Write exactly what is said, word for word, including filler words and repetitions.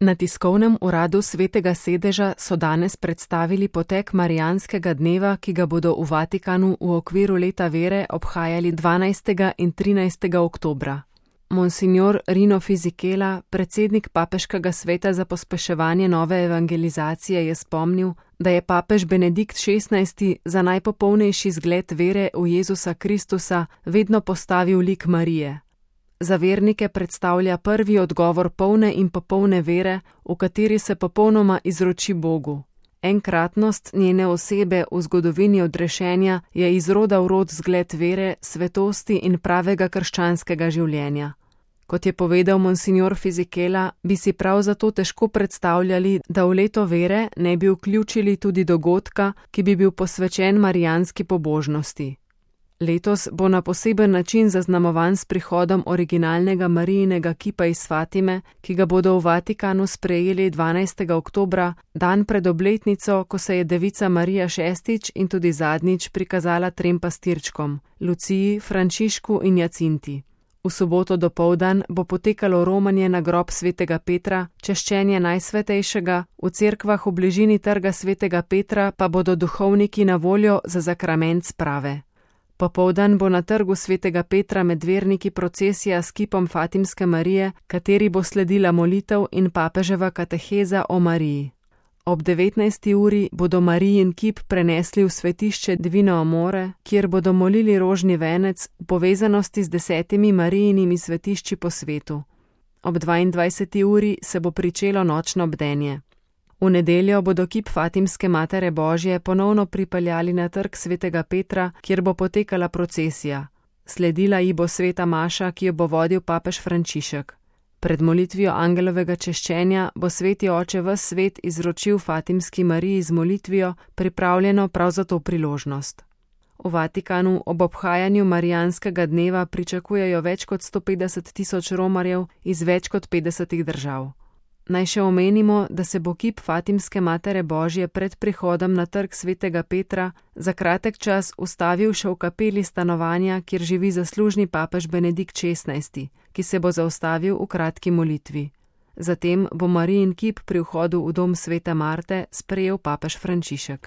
Na tiskovnem uradu Svetega sedeža so danes predstavili potek Marijanskega dneva, ki ga bodo v Vatikanu v okviru leta vere obhajali dvanajstega in trinajstega oktobra. Monsignor Rino Fisichella, predsednik Papeškega sveta za pospeševanje nove evangelizacije, je spomnil, da je papež Benedikt šestnajsti za najpopolnejši zgled vere v Jezusa Kristusa vedno postavil lik Marije. Za vernike predstavlja prvi odgovor polne in popolne vere, v kateri se popolnoma izroči Bogu. Enkratnost njene osebe v zgodovini odrešenja je iz roda v rod zgled vere, svetosti in pravega krščanskega življenja. Kot je povedal monsignor Fisichella, bi si prav zato težko predstavljali, da v leto vere ne bi vključili tudi dogodka, ki bi bil posvečen marijanski pobožnosti. Letos bo na poseben način zaznamovan s prihodom originalnega Marijinega kipa iz Fatime, ki ga bodo v Vatikanu sprejeli dvanajstega oktobra, dan pred obletnico, ko se je devica Marija šestič in tudi zadnjič prikazala trem pastirčkom, Luciji, Frančišku in Jacinti. V soboto dopoldan bo potekalo romanje na grob svetega Petra, češčenje najsvetejšega, v cerkvah v bližini trga svetega Petra pa bodo duhovniki na voljo za zakrament sprave. Popoldan bo na trgu svetega Petra med verniki procesija s kipom Fatimske Marije, kateri bo sledila molitev in papeževa kateheza o Mariji. Ob devetnajsti uri bodo Marijin kip prenesli v svetišče Divino Amore, kjer bodo molili rožni venec v povezanosti z desetimi Marijinimi svetišči po svetu. Ob dvaindvajseti uri se bo pričelo nočno bdenje. V nedeljo bodo kip Fatimske Matere Božje ponovno pripeljali na trg svetega Petra, kjer bo potekala procesija. Sledila ji bo sveta maša, ki jo bo vodil papež Frančišek. Pred molitvijo angelovega češčenja bo sveti oče ves svet izročil Fatimski Mariji z molitvijo, pripravljeno prav za to priložnost. V Vatikanu ob obhajanju Marijanskega dneva pričakujejo več kot sto petdeset tisoč romarjev iz več kot petdesetih držav. Naj še omenimo, da se bo kip Fatimske Matere Božje pred prihodom na trg svetega Petra za kratek čas ustavil še v kapeli stanovanja, kjer živi zaslužni papež Benedikt šestnajsti, ki se bo zaustavil v kratki molitvi. Zatem bo Marijin kip pri vhodu v dom svete Marte sprejel papež Frančišek.